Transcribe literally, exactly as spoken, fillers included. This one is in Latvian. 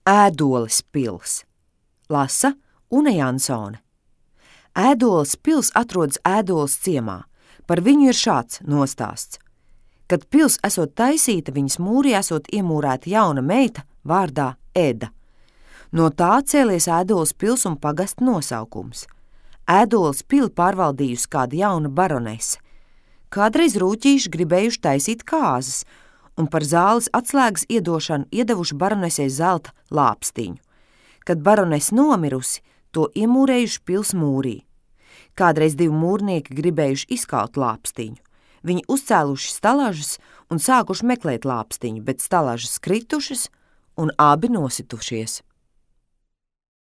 Ēdoles pils. Lasa Une Jansone. Ēdoles pils atrodas Ēdoles ciemā. Par viņu ir šāds nostāsts. Kad pils esot taisīta, viņas mūrī esot iemūrēta jauna meita vārdā Eda. No tā cēlies Ēdoles pils un pagasta nosaukums. Ēdoles pili pārvaldījusi kāda jauna baronese. Kādreiz rūķīši gribējuši taisīt kāzas, un par zāles atslēgas iedošanu iedevuši baronesei zelta lāpstiņu. Kad baronese nomirusi, to iemūrējuši pils mūrī. Kādreiz divi mūrnieki gribējuši izkaut lāpstiņu. Viņi uzcēluši stalažas un sākuši meklēt lāpstiņu, bet stalažas kritušas un abi nositušies.